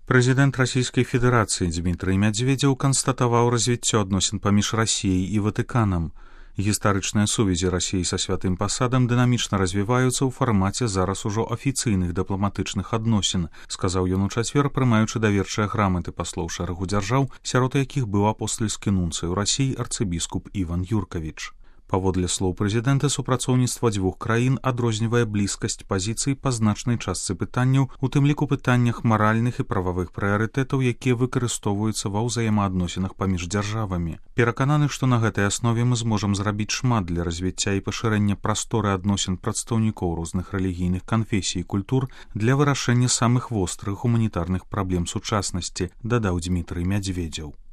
Прэзідэнт Расійскай Федэрацыі Дзмітрый Мядзведзеў канстатаваў развіццё адносін паміж Расіяй і Ватыканам. Гістарычныя сувязі Расіі са святым пасадам дынамічна развіваюцца ў фармаце зараз ужо афіцыйных дыпламатычных адносін, сказаў ён у чацвер, прымаючы даверчыя граматы паслоў шэрагу дзяржаў, сярод якіх быў апостальскі нунцый у Расіі арцыбіскуп Іван Юркавіч. Паводле слоў прэзідэнта, супрацоўніцтва дзвюх краін адрознівае блізкасць пазіцый па значнай частцы пытанняў, у тым ліку пытаннях маральных і прававых прыярытэтаў, якія выкарыстоўваюцца ва ўзаемаадносінах паміж дзяржавамі. Перакананы, што на гэтай аснове мы зможам зрабіць шмат для развіцця і пашырэння прасторы адносін прадстаўнікоў розных рэлігійных канфесій і культур для вырашэння самых вострых гуманітарных праблем сучаснасці, дадаў Дзмітрый Мядзведзеў.